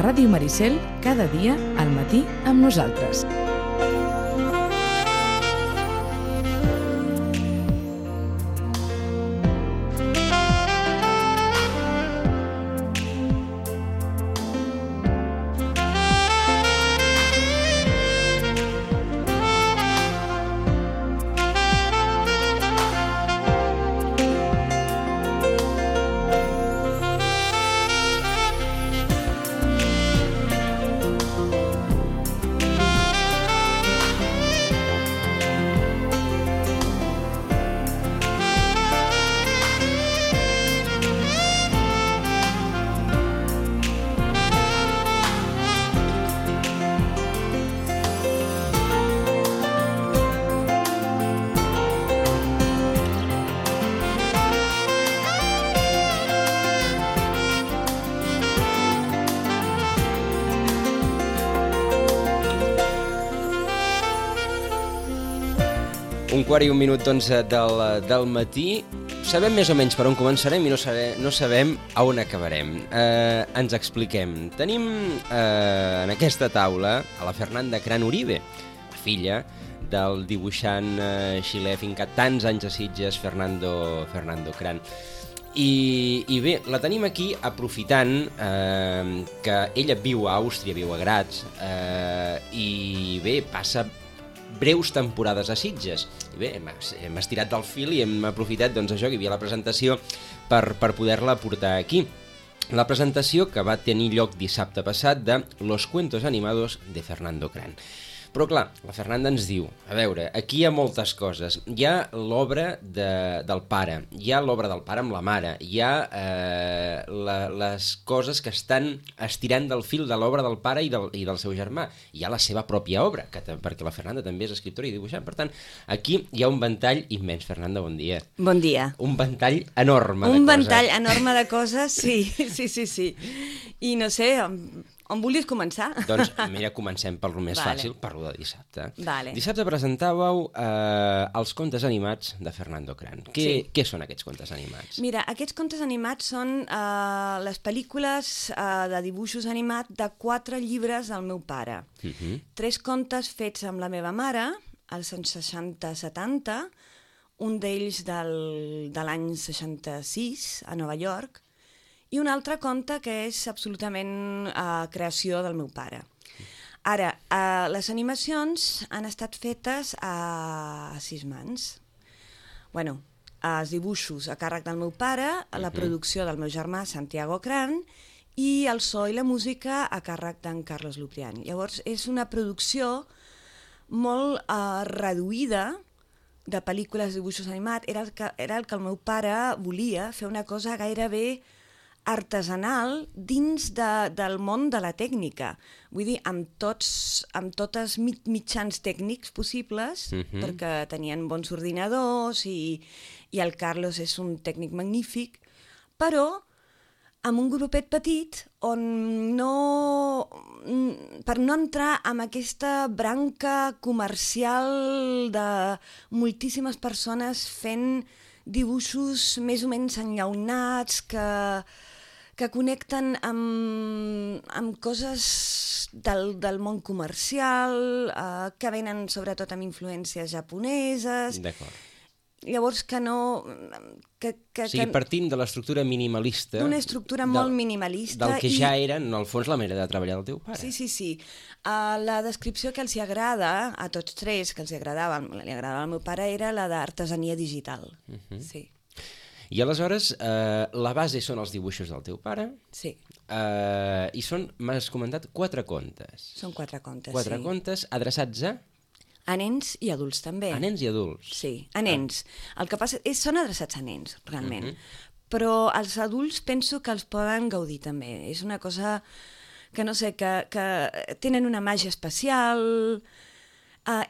Ràdio Maricel, cada dia al matí amb nosaltres. Un quart i un minut, doncs, del matí. Sabem més o menys per on començarem i no sabem a on acabarem. Ens expliquem. Tenim en aquesta taula a la Fernanda Cran Uribe, la filla del dibuixant xilè fincat tants anys a Sitges, Fernando Cran. I bé, la tenim aquí aprofitant que ella viu a Àustria, viu a Graz, i bé, passa breus temporades a Sitges. I bé, hem estirat del fil i hem aprofitat, doncs, això, que hi havia la presentació per poder-la portar aquí. La presentació que va tenir lloc dissabte passat de Los cuentos animados de Fernando Cran. Però clar, la Fernanda ens diu, a veure, aquí hi ha moltes coses. Hi ha l'obra del pare, hi ha l'obra del pare amb la mare, hi ha les coses que estan estirant del fil de l'obra del pare i del seu germà. Hi ha la seva pròpia obra, perquè la Fernanda també és escriptora i dibuixant. Per tant, aquí hi ha un ventall immens. Fernanda, bon dia. Bon dia. Un ventall enorme de coses. Un ventall enorme de coses, sí. I no sé, on volies començar? Doncs mira, comencem per lo més fàcil, per lo de dissabte. Vale. Dissabte presentàveu els contes animats de Fernando Cran. Què són aquests contes animats? Mira, aquests contes animats són les pel·lícules de dibuixos animats de 4 llibres del meu pare. 3 contes fets amb la meva mare, als anys 60-70, un d'ells de l'any 66, a Nova York, i un altre conte que és absolutament creació del meu pare. Ara, les animacions han estat fetes a 6 mans. Bueno, els dibuixos a càrrec del meu pare, la producció del meu germà Santiago Cran i el so i la música a càrrec d'en Carlos Lupriani. Llavors, és una producció molt reduïda de pel·lícules de dibuixos animats. Era el que el meu pare volia, fer una cosa gairebé artesanal dins del món de la tècnica. Vull dir, amb tots mitjans tècnics possibles, perquè tenien bons ordinadors i el Carlos és un tècnic magnífic, però amb un grupet petit per no entrar en aquesta branca comercial de moltíssimes persones fent dibuixos més o menys enllaunats que connecten amb coses del món comercial, que venen sobretot amb influències japoneses. D'acord. Llavors que no... O sigui, partint de l'estructura minimalista... D'una estructura molt minimalista. Del que ja era, en el fons, la manera de treballar del teu pare. Sí. La descripció que els agrada, a tots 3, que els li agradava al meu pare, era la d'artesania digital. Sí. I aleshores, la base són els dibuixos del teu pare. Sí. I són, m'has comentat, 4 contes. Són 4 contes, 4 contes adreçats a nens i adults, també. A nens i adults. Sí, a nens. El que passa és són adreçats a nens, realment. Però els adults penso que els poden gaudir, també. És una cosa que, no sé, que tenen una màgia especial...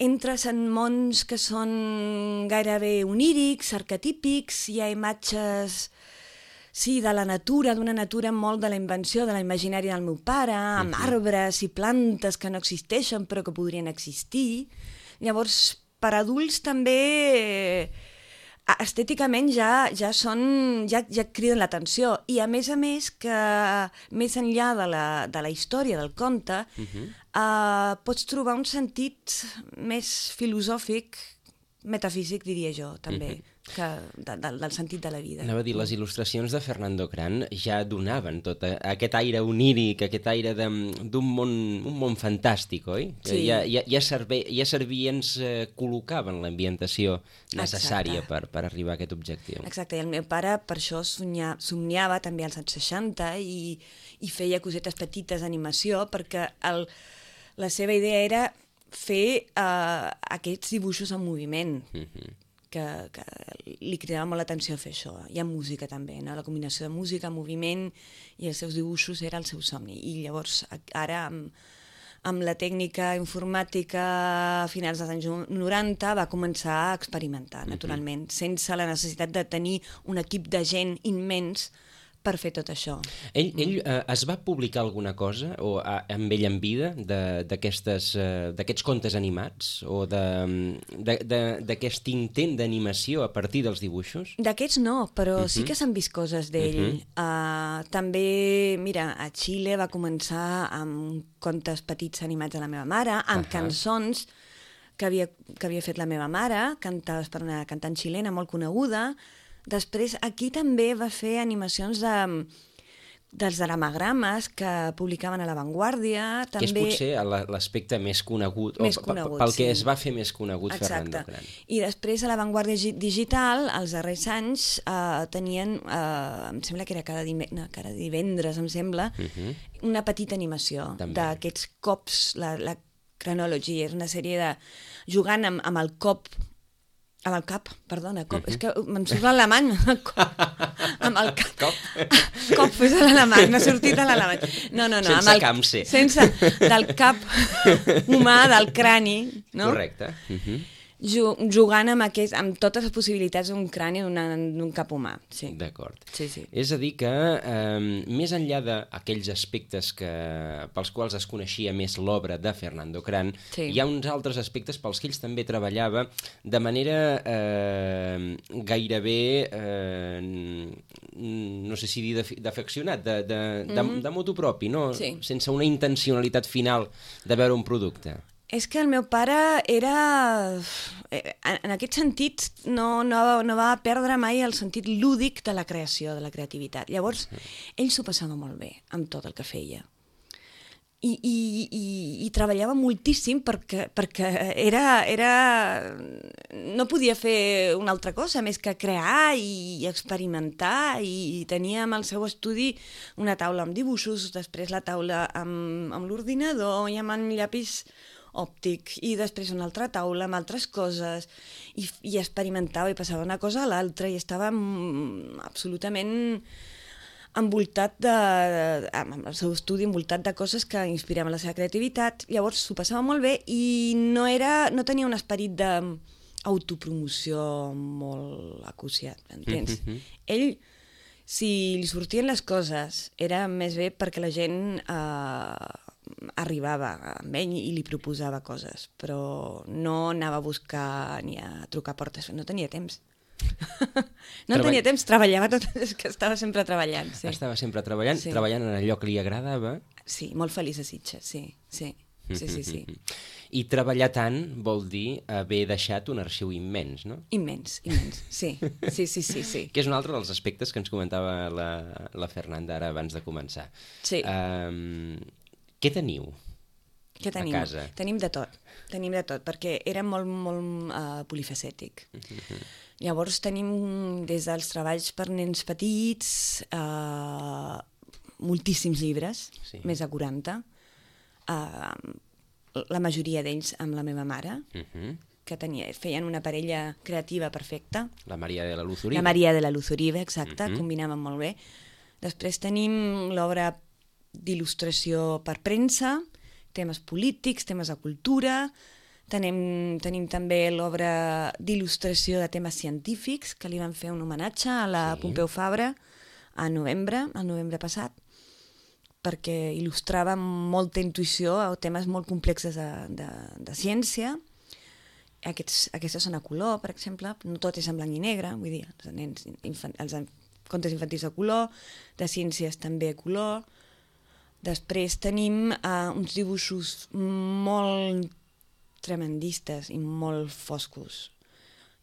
Entres en mons que són gairebé onírics, arquetípics, hi ha imatges de la natura, d'una natura molt de la invenció, de la imaginària del meu pare, amb arbres i plantes que no existeixen però que podrien existir. Llavors, per adults també estèticament ja criden l'atenció. I a més que més enllà de la història del conte, pots trobar un sentit més filosòfic, metafísic, diria jo, també, del sentit de la vida. Anava a dir, les il·lustracions de Fernando Cran ja donaven tot aquest aire oníric, aquest aire d'un món fantàstic, oi? Sí. Ja servien, ens col·locaven l'ambientació necessària per arribar a aquest objectiu. Exacte, i el meu pare per això somniava també als anys 60 i feia cosetes petites d'animació, perquè la seva idea era fer aquests dibuixos en moviment, que li cridava molt l'atenció fer això. Hi ha música també, no? La combinació de música, moviment i els seus dibuixos era el seu somni. I llavors ara amb la tècnica informàtica a finals dels anys 90 va començar a experimentar, naturalment, sense la necessitat de tenir un equip de gent immens per fer tot això. Ell es va publicar alguna cosa amb ell en vida d'aquests contes animats o d'aquest intent d'animació a partir dels dibuixos? D'aquests no, però sí que s'han vist coses d'ell. També, mira, a Xile va començar amb contes petits animats de la meva mare, amb cançons que havia fet la meva mare, cantades per una cantant xilena molt coneguda. Després, aquí també va fer animacions dels dramagrames que publicaven a La Vanguardia. Que és potser l'aspecte més conegut, pel que es va fer més conegut Fernando Cran. I després a La Vanguardia Digital, els darrers anys, tenien, em sembla que era cada divendres, em sembla, una petita animació d'aquests cops, la Chronology, és una sèrie de... jugant amb el cop, amb el cap, perdona, cop, és que me'n surt l'alemany, amb el cap. Cop és l'alemany, m'ha sortit a l'alemany. No, sense camse. Sense, del cap humà, del crani, no? Correcte. Jugant amb totes les possibilitats d'un crani d'un cap humà. Sí. D'acord. Sí. És a dir que, més enllà d'aquells aspectes pels quals es coneixia més l'obra de Fernando Cran, hi ha uns altres aspectes pels que ell també treballava de manera gairebé, no sé si dir d'afeccionat, de motu propi, no? Sense una intencionalitat final de veure un producte. És que el meu pare era... En aquest sentit, no va perdre mai el sentit lúdic de la creació, de la creativitat. Llavors, ell s'ho passava molt bé amb tot el que feia. I treballava moltíssim perquè no podia fer una altra cosa més que crear i experimentar, i tenia amb el seu estudi una taula amb dibuixos, després la taula amb l'ordinador i amb el llapis òptic, i després una altra taula amb altres coses, i experimentava i passava una cosa a l'altra, i estava absolutament envoltat amb el seu estudi, envoltat de coses que inspiraven la seva creativitat. Llavors s'ho passava molt bé i no tenia un esperit d'autopromoció molt acuciat, entens? Ell, si li sortien les coses, era més bé perquè la gent arribava amb ell i li proposava coses, però no anava a buscar ni a trucar a portes, no tenia temps. No tenia temps, treballava tot, és que estava sempre treballant. Estava sempre treballant en allò que li agradava. Sí, molt feliç a Sitges, sí. I treballar tant vol dir haver deixat un arxiu immens, no? Immens, sí. Que és un altre dels aspectes que ens comentava la Fernanda ara abans de començar. Sí. Què teniu a casa? Tenim de tot, perquè era molt polifacètic. Llavors tenim des dels treballs per nens petits, moltíssims llibres, més de 40, la majoria d'ells amb la meva mare, que feien una parella creativa perfecta. La Maria de la Luz Uribe. La Maria de la Luz Uribe, exacte, combinaven molt bé. Després tenim l'obra d'il·lustració per premsa, temes polítics, temes de cultura, tenim també l'obra d'il·lustració de temes científics, que li van fer un homenatge a la Pompeu Fabra el novembre passat, perquè il·lustrava amb molta intuïció temes molt complexes de ciència. Aquestes són a color, per exemple, no tot és en blanc i negre, vull dir, els contes infantils a color, de ciències també a color. Després tenim uns dibuixos molt tremendistes i molt foscos,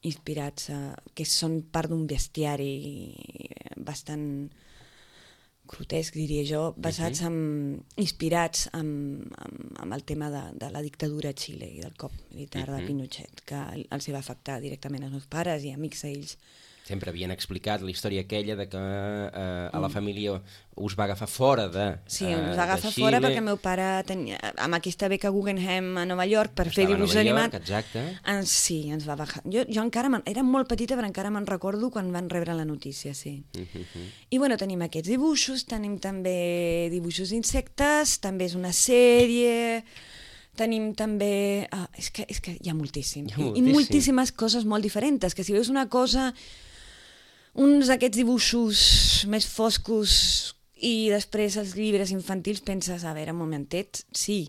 inspirats, que són part d'un bestiari bastant grotesc, diria jo, inspirats en el tema de la dictadura a Xile i del cop militar de Pinochet, que els va afectar directament als meus pares i amics d'ells. Sempre havien explicat la història aquella de que a la família us va agafar fora de Xile. Sí, us va agafar fora perquè el meu pare tenia, amb aquesta beca Guggenheim a Nova York per fer dibuix animat. Exacte. Sí, ens va bajar. Jo encara era molt petita, però encara me'n recordo quan van rebre la notícia, sí. I bueno, tenim aquests dibuixos, tenim també dibuixos d'insectes, també és una sèrie... Tenim també... És que hi ha moltíssim. I moltíssimes coses molt diferents, que si veus una cosa, uns d'aquests dibuixos més foscos i després els llibres infantils penses, a veure, un momentet, sí.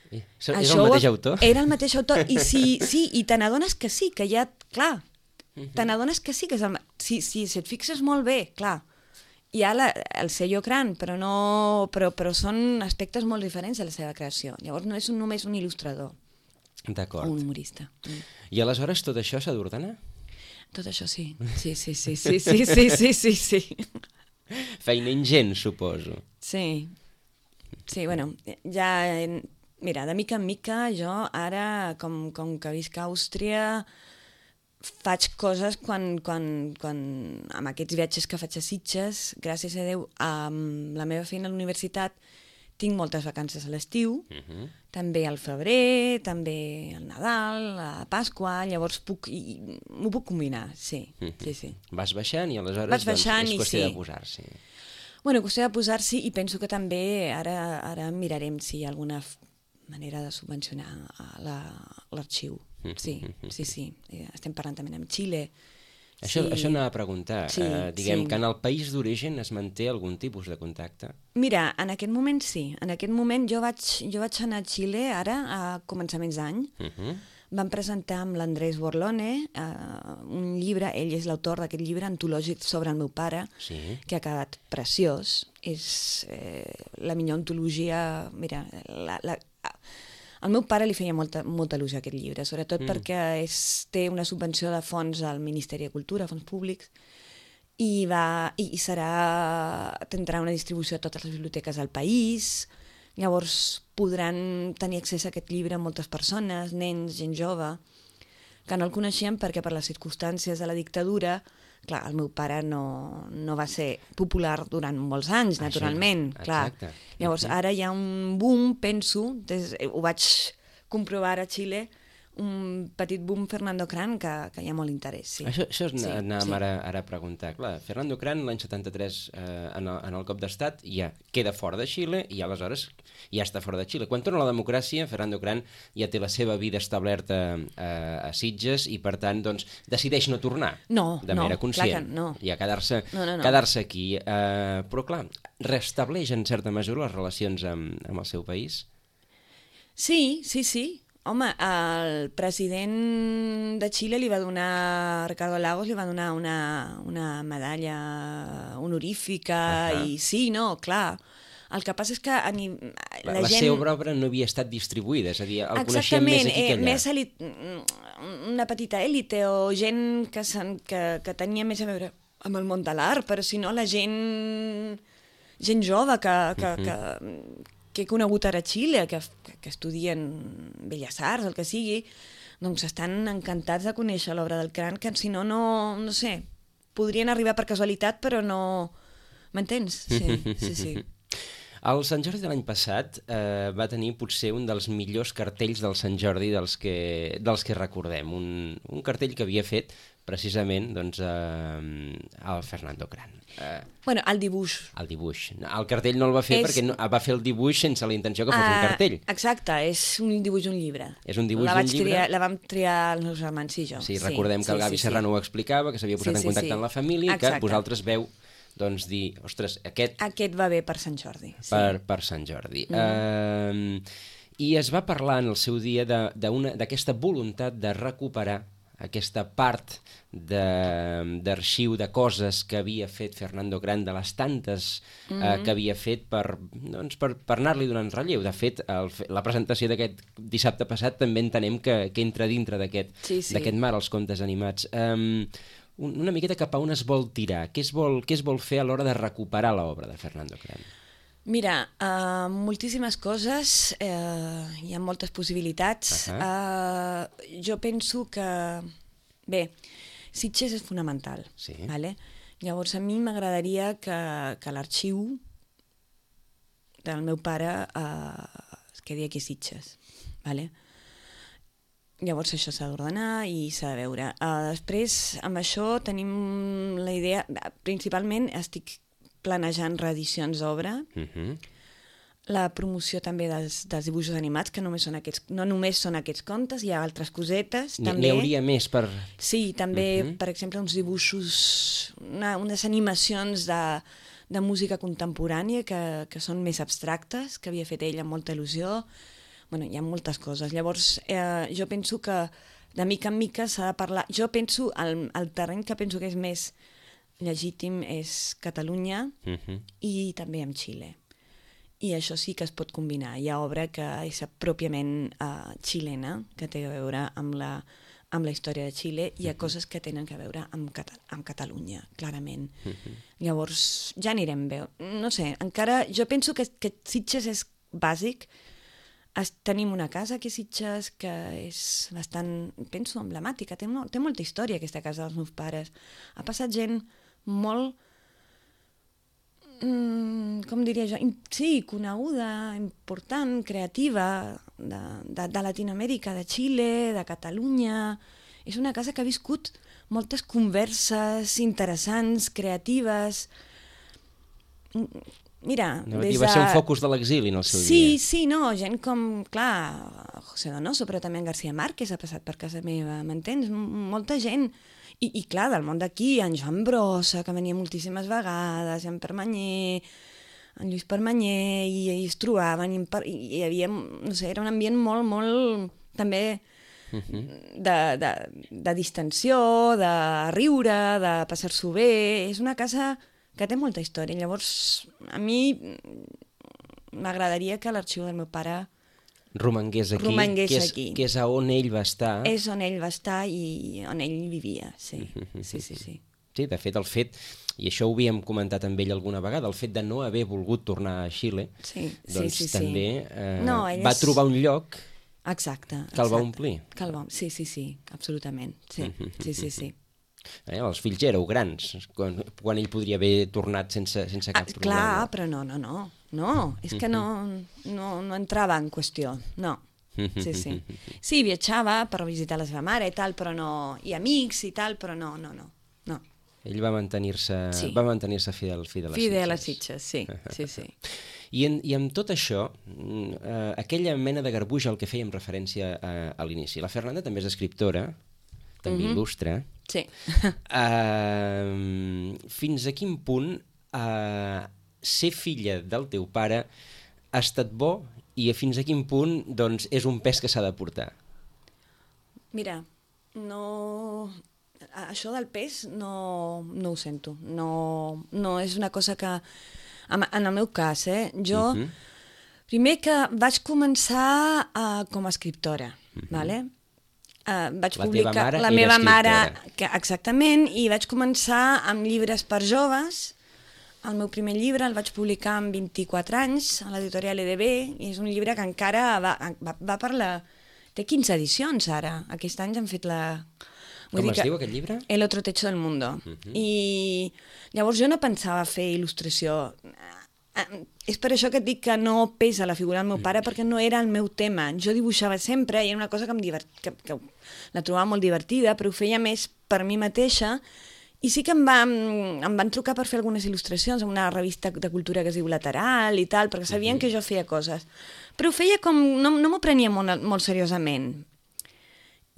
És el mateix autor? Era el mateix autor, i sí, i te n'adones que sí, que ja, clar, te n'adones que sí, que és el... Si et fixes molt bé, clar, hi ha el sello Cran, però són aspectes molt diferents de la seva creació. Llavors no és només un il·lustrador o un humorista. I aleshores tot això s'ha d'ordenar? Tot això sí. Sí. Feina ingent, suposo. Sí, bueno, ja... Mira, de mica en mica jo ara, com que visc a Àustria, faig coses quan amb aquests viatges que faig a Sitges, gràcies a Déu, amb la meva feina a la universitat, tinc moltes vacances a l'estiu, també al febrer, també al Nadal, a Pasqua, llavors m'ho puc combinar, sí. Vas baixant i aleshores és qüestió de posar-s'hi. Bueno, qüestió de posar-s'hi, i penso que també ara mirarem si hi ha alguna manera de subvencionar l'arxiu. Sí. Estem parlant també amb Xile. Això anava a preguntar. Diguem que en el país d'origen es manté algun tipus de contacte? Mira, en aquest moment sí. En aquest moment jo vaig anar a Xile ara, a començaments d'any. Vam presentar amb l'Andrés Borlone un llibre, ell és l'autor d'aquest llibre antològic sobre el meu pare, que ha quedat preciós. És la millor antologia... Mira, al meu pare li feia molta il·lusió aquest llibre, sobretot perquè té una subvenció de fons al Ministeri de Cultura, fons públics, i tindrà una distribució a totes les biblioteques del país. Llavors podran tenir accés a aquest llibre moltes persones, nens, gent jove, que no el coneixien perquè per les circumstàncies de la dictadura, clar, el meu pare no va ser popular durant molts anys, naturalment. Clar. Llavors ara hi ha un boom, penso, ho vaig comprovar a Xile, un petit boom Fernando Cran, que hi ha molt interès. Això anàvem ara a preguntar. Clar, Fernando Cran l'any 73 en el cop d'estat ja queda fora de Xile i aleshores ja està fora de Xile. Quan torna la democràcia, Fernando Cran ja té la seva vida establerta a Sitges i per tant decideix no tornar de manera conscient. I a quedar-se aquí. Però clar, restableix en certa mesura les relacions amb el seu país? Sí. Home, el president de Xile li va donar, Ricardo Lagos li va donar una medalla honorífica i sí, clar. El que passa és que la gent... La seva obra no havia estat distribuïda, és a dir, el coneixien més aquí que allà. Més una petita élite o gent que tenia més a veure amb el món de l'art, però si no la gent jove que he conegut ara a Xile, que estudien Belles Arts, el que sigui, doncs estan encantats de conèixer l'obra del Cran, que si no, no sé, podrien arribar per casualitat, però no... M'entens? Sí. El Sant Jordi de l'any passat va tenir potser un dels millors cartells del Sant Jordi dels que recordem. Un cartell que havia fet precisament el Fernando Cran. Bueno, el dibuix. El dibuix. El cartell no el va fer perquè va fer el dibuix sense la intenció que fos un cartell. Exacte, és un dibuix d'un llibre. És un dibuix d'un llibre. La vam triar els meus germans i jo. Sí, recordem que el Gavi Serrano ho explicava, que s'havia posat en contacte amb la família i que vosaltres veu dir, ostres, aquest va bé per Sant Jordi. Per Sant Jordi. I es va parlar en el seu dia d'aquesta voluntat de recuperar aquesta part d'arxiu de coses que havia fet Fernando Gran, de les tantes que havia fet per anar-li donant relleu. De fet, la presentació d'aquest dissabte passat també entenem que entra dintre d'aquest mar, els contes animats. Una miqueta cap a on es vol tirar? Què es vol fer a l'hora de recuperar l'obra de Fernando Gran? Mira, moltíssimes coses, hi ha moltes possibilitats. Jo penso que, bé, Sitges és fonamental. Sí. Vale? Llavors, a mi m'agradaria que l'arxiu del meu pare es quedi aquí a Sitges. Vale? Llavors això s'ha d'ordenar i s'ha de veure. Després, amb això tenim la idea, principalment estic planejant reedicions d'obra, la promoció també dels dibuixos animats, que no només són aquests contes, hi ha altres cosetes. N'hi hauria més per... Sí, també, per exemple, uns dibuixos, unes animacions de música contemporània que són més abstractes, que havia fet ell amb molta il·lusió. Bueno, hi ha moltes coses. Llavors, jo penso que de mica en mica s'ha de parlar... Jo penso, el terreny que penso que és més legítim és Catalunya i també amb Xile. I això sí que es pot combinar. Hi ha obra que és pròpiament xilena, que té a veure amb la història de Xile, i hi ha coses que tenen a veure amb Catalunya, clarament. Llavors, ja anirem bé. No sé, encara... Jo penso que Sitges és bàsic. Tenim una casa aquí a Sitges que és bastant, penso, emblemàtica. Té molta història aquesta casa dels meus pares. Ha passat gent molt, com diria jo, sí, coneguda, important, creativa, de Latinoamèrica, de Xile, de Catalunya. És una casa que ha viscut moltes converses interessants, creatives. Mira, va ser un focus de l'exili en el seu dia. Sí, no, gent com, clar, José Donoso, però també en García Márquez ha passat per casa meva, m'entens? Molta gent. I clar, del món d'aquí, en Joan Brossa, que venia moltíssimes vegades, en Permanyer, en Lluís Permanyer, i es trobaven, i hi havia, no sé, era un ambient molt, molt, també, de distensió, de riure, de passar-s'ho bé. És una casa que té molta història. Llavors, a mi m'agradaria que l'arxiu del meu pare romangués aquí, que és on ell va estar. És on ell va estar i on ell vivia, sí. Sí, de fet, i això ho havíem comentat amb ell alguna vegada, el fet de no haver volgut tornar a Xile, doncs també va trobar un lloc que el va omplir. Sí, absolutament. Sí. Els fills ja éreu grans, quan ell podria haver tornat sense cap problema. Clar, però no, és que no entrava en qüestió, no. Sí. Sí, viatjava per visitar la seva mare i tal, però no, i amics i tal, però no. Ell va mantenir-se fidel a Sitges, sí. I amb tot això, aquella mena de garbuix al que fèiem referència a l'inici. La Fernanda també és escriptora, també il·lustra. Sí. Fins a quin punt ser filla del teu pare ha estat bo i fins a quin punt doncs, és un pes que s'ha de portar? Mira, això del pes no ho sento. No és una cosa que... En el meu cas, jo... Primer que vaig començar com a escriptora, vale? Vaig publicar la meva mare, exactament, i vaig començar amb llibres per joves. El meu primer llibre el vaig publicar amb 24 anys a l'editorial EDB, i és un llibre que encara va per la... Té 15 edicions ara. Aquest any han fet la... Com es diu aquest llibre? El otro techo del mundo. I llavors jo no pensava fer il·lustració. És per això que et dic que no pesa la figura del meu pare, perquè no era el meu tema. Jo dibuixava sempre i era una cosa que la trobava molt divertida, però ho feia més per mi mateixa. I sí que em van trucar per fer algunes il·lustracions en una revista de cultura que es diu Lateral i tal, perquè sabien que jo feia coses. Però ho feia com... No m'ho prenia molt seriosament.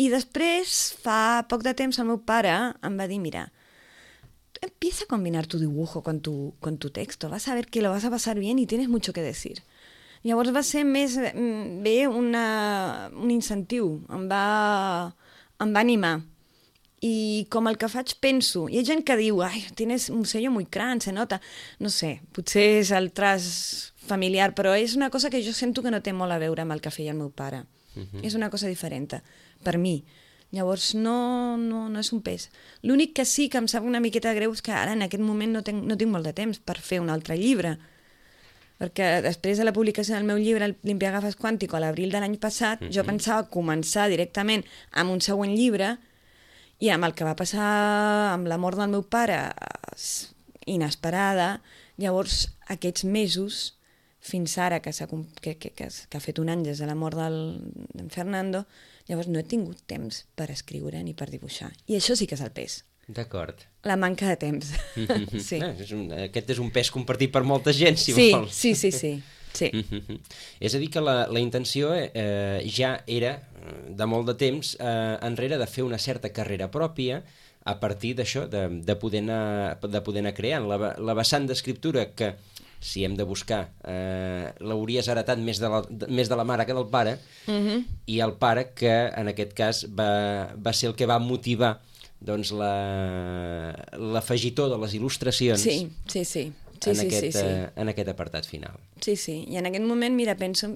I després, fa poc de temps, el meu pare em va dir, mira, empieza a combinar tu dibujo con tu texto, vas a ver que lo vas a pasar bien y tienes mucho que decir. Llavors va ser més bé un incentiu, em va animar. I com el que faig penso, hi ha gent que diu, ai, tienes un sello muy gran, se nota. No sé, potser és el traç familiar, però és una cosa que jo sento que no té molt a veure amb el que feia el meu pare. És una cosa diferent, per mi. Llavors no és un pes. L'únic que sí que em sap una miqueta greu és que ara en aquest moment no tinc molt de temps per fer un altre llibre. Perquè després de la publicació del meu llibre, Limpiagafes Quàntico, a l'abril de l'any passat, jo pensava començar directament amb un següent llibre i amb el que va passar amb la mort del meu pare, inesperada, llavors aquests mesos, fins ara que ha fet un any des de la mort d'en Fernando, llavors no he tingut temps per escriure ni per dibuixar. I això sí que és el pes. D'acord. La manca de temps. Sí. Aquest és un pes compartit per molta gent, si vols. Sí. És a dir, que la intenció ja era, de molt de temps enrere, de fer una certa carrera pròpia a partir d'això, de poder anar creant. La vessant d'escriptura que, si hem de buscar, l'hauries heretat més de la mare que del pare, i el pare que, en aquest cas, va ser el que va motivar doncs l'afegitó de les il·lustracions en aquest apartat final. Sí, i en aquest moment, mira, penso...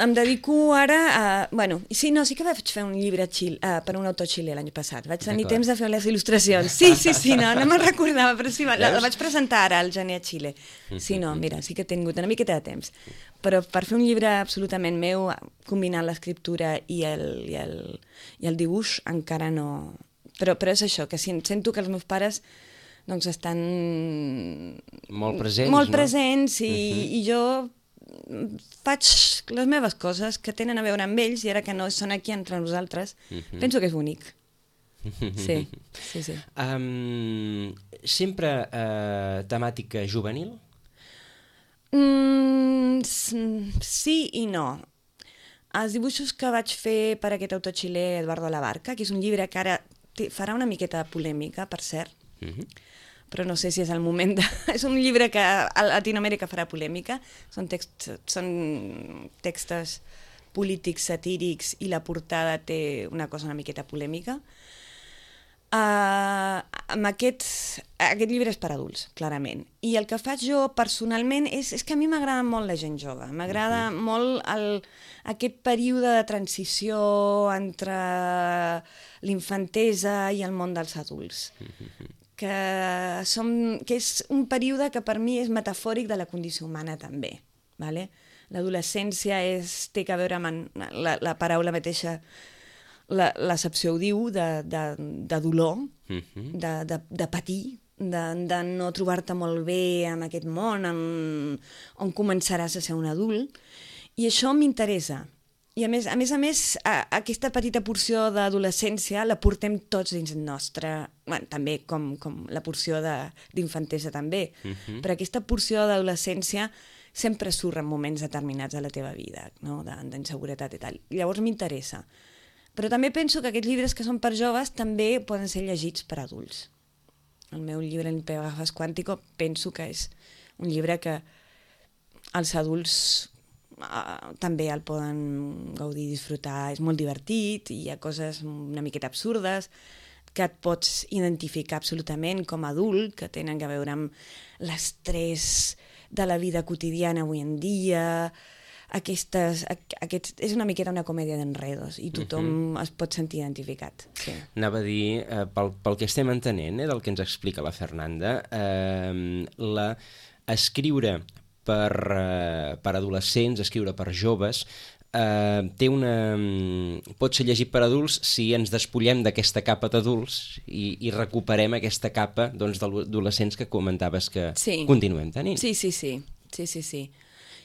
Em dedico ara a... Bueno, sí que vaig fer un llibre per un autor xilè l'any passat. Vaig tenir temps de fer les il·lustracions. Sí, no me'n recordava, però sí, la vaig presentar ara al gener a Xile. Sí, no, mira, sí que he tingut una miqueta de temps. Però per fer un llibre absolutament meu, combinant l'escriptura i el dibuix, encara no... Però és això, que sento que els meus pares doncs estan... Molt presents, i jo faig les meves coses que tenen a veure amb ells i ara que no són aquí entre nosaltres, penso que és bonic. Sí. Sempre temàtica juvenil? Sí i no. Els dibuixos que vaig fer per aquest autor xilè, Eduardo Labarca, que és un llibre que ara farà una miqueta de polèmica, per cert, però no sé si és el moment de... És un llibre que a Latinoamèrica farà polèmica, són textos polítics, satírics, i la portada té una cosa una miqueta polèmica. Aquest llibre és per adults, clarament. I el que faig jo personalment és que a mi m'agrada molt la gent jove, m'agrada molt aquest període de transició entre l'infantesa i el món dels adults. Que és un període que per mi és metafòric de la condició humana també. L'adolescència té a veure amb la paraula mateixa, l'accepció ho diu, de dolor, de patir, de no trobar-te molt bé en aquest món on començaràs a ser un adult, i això m'interessa. I a més, aquesta petita porció d'adolescència la portem tots dins nostre, també com la porció d'infantesa també, però aquesta porció d'adolescència sempre surt en moments determinats de la teva vida, d'inseguretat i tal. Llavors m'interessa. Però també penso que aquests llibres que són per joves també poden ser llegits per adults. El meu llibre Limpiagafes Quàntico penso que és un llibre que els adults també el poden gaudir i disfrutar. És molt divertit, hi ha coses una miqueta absurdes que et pots identificar absolutament com a adult, que tenen a veure amb l'estrès de la vida quotidiana avui en dia. És una miqueta una comèdia d'enredos i tothom es pot sentir identificat. Sí. Anava a dir, pel que estem entenent, del que ens explica la Fernanda, escriure per adolescents, escriure per joves, pot ser llegit per adults si ens despullem d'aquesta capa d'adults i recuperem aquesta capa d'adolescents que comentaves que continuem tenint. Sí.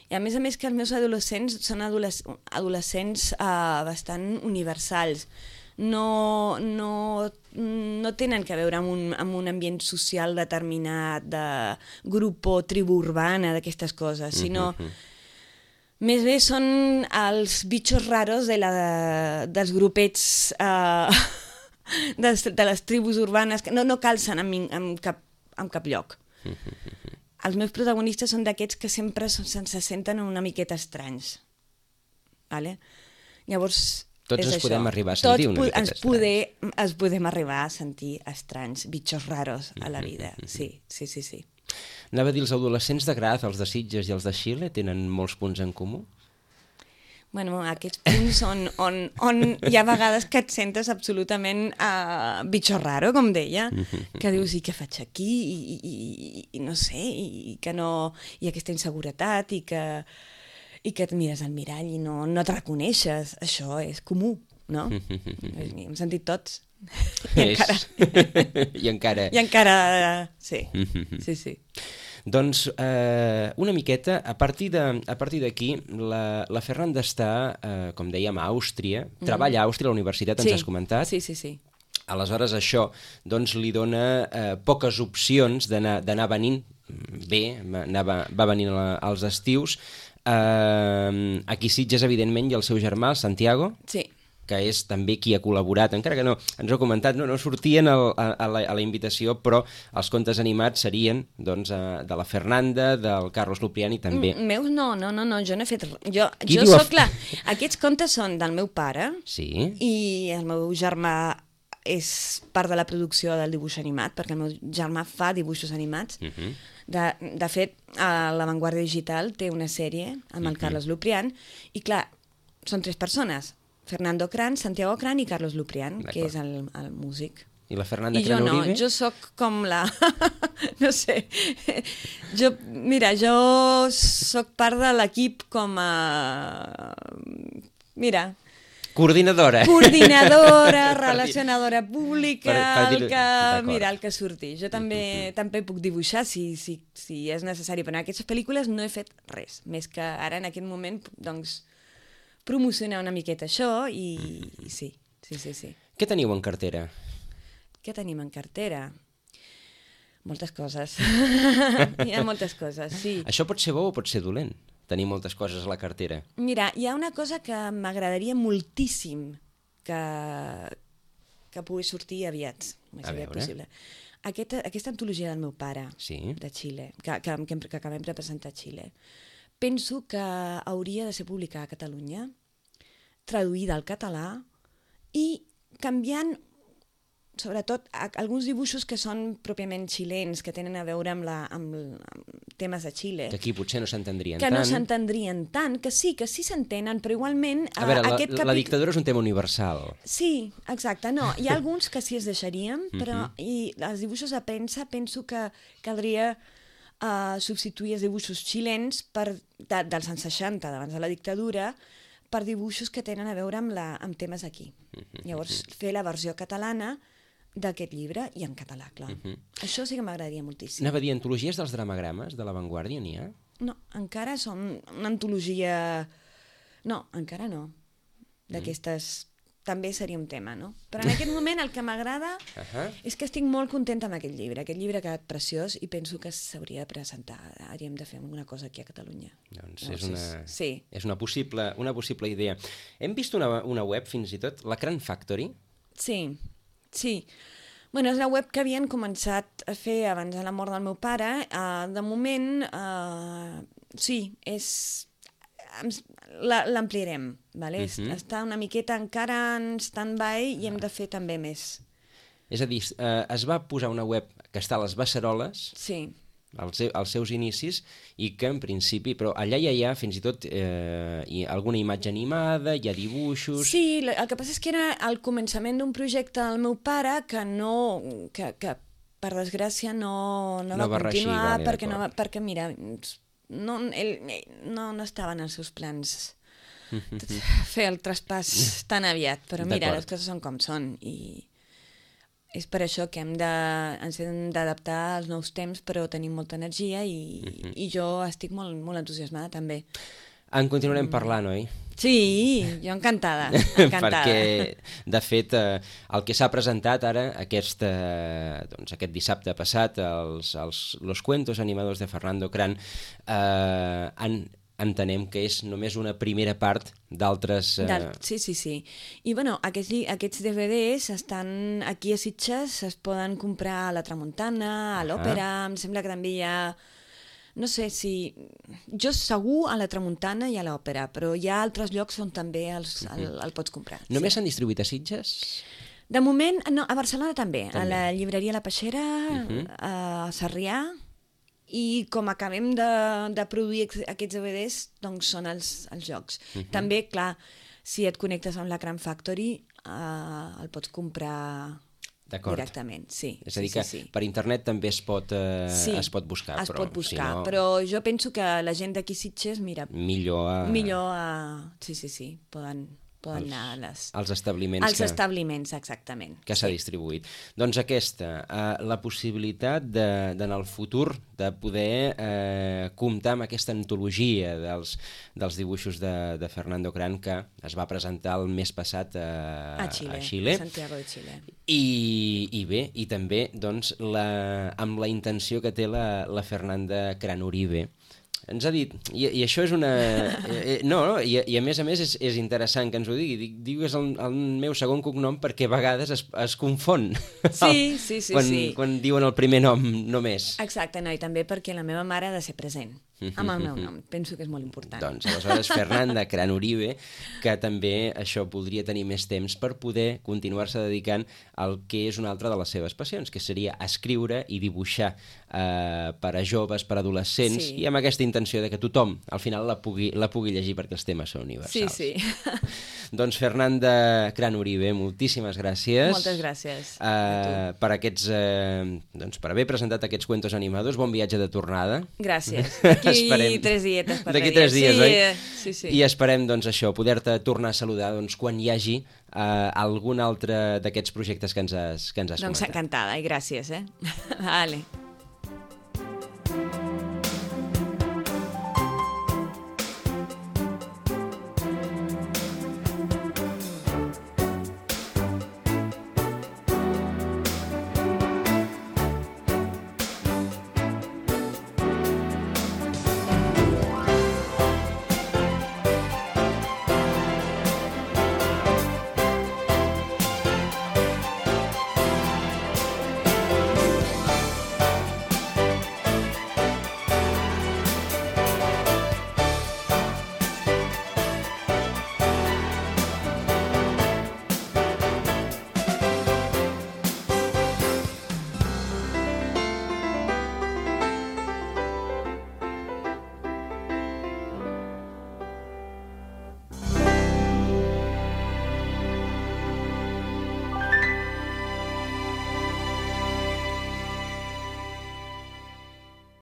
I a més que els meus adolescents són adolescents bastant universals. No tenen a veure amb un ambient social determinat, de grup o tribu urbana, d'aquestes coses, sinó més bé són els bitxos raros dels grupets de les tribus urbanes que no calcen en cap lloc. els meus protagonistes són d'aquests que sempre se senten una miqueta estranys. Vale? Llavors, tots és ens això. podem arribar a sentir una miqueta estranys. Ens podem arribar a sentir estranys, bitxos raros a la vida. Sí. Anava a dir, els adolescents de Graz, els de Sitges i els de Xile, tenen molts punts en comú? Bueno, aquests punts on hi ha vegades que et sentes absolutament bitxo raro, com deia, que dius, i què faig aquí? I no sé, i que no... I aquesta inseguretat, i que et mires al mirall i no et reconeixes. Això és comú, no? Hem sentit tots. I encara... I encara... Sí. Doncs una miqueta, a partir d'aquí, la Fernanda està, com dèiem, a Àustria, treballa a Àustria, a la universitat, ens has comentat. Sí. Aleshores això doncs, li dona poques opcions d'anar venint bé, va venint als estius. Aquí Sitges, evidentment, i el seu germà, el Santiago, que és també qui ha col·laborat, encara que no, ens ho ha comentat, no sortien a la invitació, però els contes animats serien doncs, de la Fernanda, del Carlos Lupriani també. Meus no, jo no he fet... Jo soc clar, aquests contes són del meu pare, i el meu germà és part de la producció del dibuix animat, perquè el meu germà fa dibuixos animats. De fet, La Vanguardia Digital té una sèrie amb el Carlos Luprian, i clar, són 3 persones, Fernando Cran, Santiago Cran i Carlos Luprian, que és el músic. I la Fernanda Cran Uribe? Jo soc com la... no sé. Mira, jo soc part de l'equip com a... Mira... Coordinadora, relacionadora pública, el que surti. Jo també puc dibuixar si és necessari, però en aquestes pel·lícules no he fet res, més que ara en aquest moment doncs, promocionar una miqueta això i sí. Què teniu en cartera? Què tenim en cartera? Moltes coses. Hi ha moltes coses, sí. Això pot ser bo o pot ser dolent? Tenir moltes coses a la cartera. Mira, hi ha una cosa que m'agradaria moltíssim que pugui sortir aviat, més aviat possible. Aquesta antologia del meu pare, de Xile, que acabem de presentar a Xile, penso que hauria de ser publicada a Catalunya, traduïda al català i canviant sobretot alguns dibuixos que són pròpiament xilens, que tenen a veure amb temes de Xile. Que aquí potser no s'entendrien tant. Que no s'entendrien tant, que sí s'entenen, però igualment... A veure, la dictadura és un tema universal. Sí, exacte, no. Hi ha alguns que sí es deixarien, però i els dibuixos a premsa penso que caldria substituir els dibuixos xilens dels anys 60, d'abans de la dictadura, per dibuixos que tenen a veure amb temes aquí. Llavors, fer la versió catalana d'aquest llibre i en català, clar. Això sí que m'agradaria moltíssim. Anava a dir, antologies dels dramagrames de La Vanguardia, n'hi ha? No, encara són una antologia... No, encara no. D'aquestes... També seria un tema, no? Però en aquest moment el que m'agrada és que estic molt contenta amb aquest llibre. Aquest llibre ha quedat preciós i penso que s'hauria de presentar. Hauríem de fer alguna cosa aquí a Catalunya. Doncs és una possible idea. Hem vist una web, fins i tot, la Cran Factory. Sí. Bueno, és una web que havien començat a fer abans de la mort del meu pare. De moment, sí, l'ampliarem. Està una miqueta encara en stand-by i hem de fer també més. És a dir, es va posar una web que està a les Beceroles, als seus inicis, i que en principi, però allà ja hi ha fins i tot alguna imatge animada, hi ha dibuixos... Sí, el que passa és que era el començament d'un projecte del meu pare que per desgràcia no va continuar, perquè mira, ell no estava en els seus plans fer el traspàs tan aviat, però mira, les coses són com són i és per això que ens hem d'adaptar als nous temps, però tenim molta energia i jo estic molt, molt entusiasmada també. En continuarem parlant, oi? Sí, jo encantada. Perquè, de fet, el que s'ha presentat ara, aquest dissabte passat, los cuentos animados de Fernando Cran, entenem que és només una primera part d'altres... Sí. I bueno, aquests DVDs estan aquí a Sitges, es poden comprar a la Tramuntana, a l'Òpera, em sembla que també hi ha no sé si... Jo segur a la Tramuntana i a l'Òpera, però hi ha altres llocs on també el pots comprar. Només s'han distribuït a Sitges? De moment, no, a Barcelona també. A la llibreria La Peixera, a Sarrià, i com acabem de produir aquests DVDs, doncs són els jocs. També, clar, si et connectes amb la Cram Factory, el pots comprar directament. Sí, és a dir, que per internet també es pot buscar. Es pot buscar, però jo penso que la gent d'aquí Sitges, mira... Millor Sí, poden anar als establiments. Als establiments, exactament. Que s'ha distribuït. Doncs aquesta, la possibilitat en el futur de poder comptar amb aquesta antologia dels dibuixos de Fernando Cran, que es va presentar el mes passat a Xile. A Santiago de Xile. I bé, i també doncs, amb la intenció que té la Fernanda Cran Uribe. Ens ha dit, i això és una... I a més és interessant que ens ho digui. Diu que és el meu segon cognom perquè a vegades es confon. Sí. Quan diuen el primer nom només. Exacte, i també perquè la meva mare ha de ser present amb el meu nom. Penso que és molt important. Doncs aleshores Fernanda Cran Uribe, que també això voldria tenir més temps per poder continuar-se dedicant al que és una altra de les seves passions, que seria escriure i dibuixar per a joves, per a adolescents, i amb aquesta intenció de que tothom al final la pugui llegir perquè els temes són universals. Sí. Doncs Fernanda Cran Uribe, moltíssimes gràcies. Moltes gràcies per haver presentat aquests cuentos animados. Bon viatge de tornada. Gràcies. D'aquí 3 dietes per D'aquí 3 dies, oi? Sí. I esperem, doncs, això, poder-te tornar a saludar quan hi hagi algun altre d'aquests projectes que ens has comentat. Doncs encantada, i gràcies, Vale.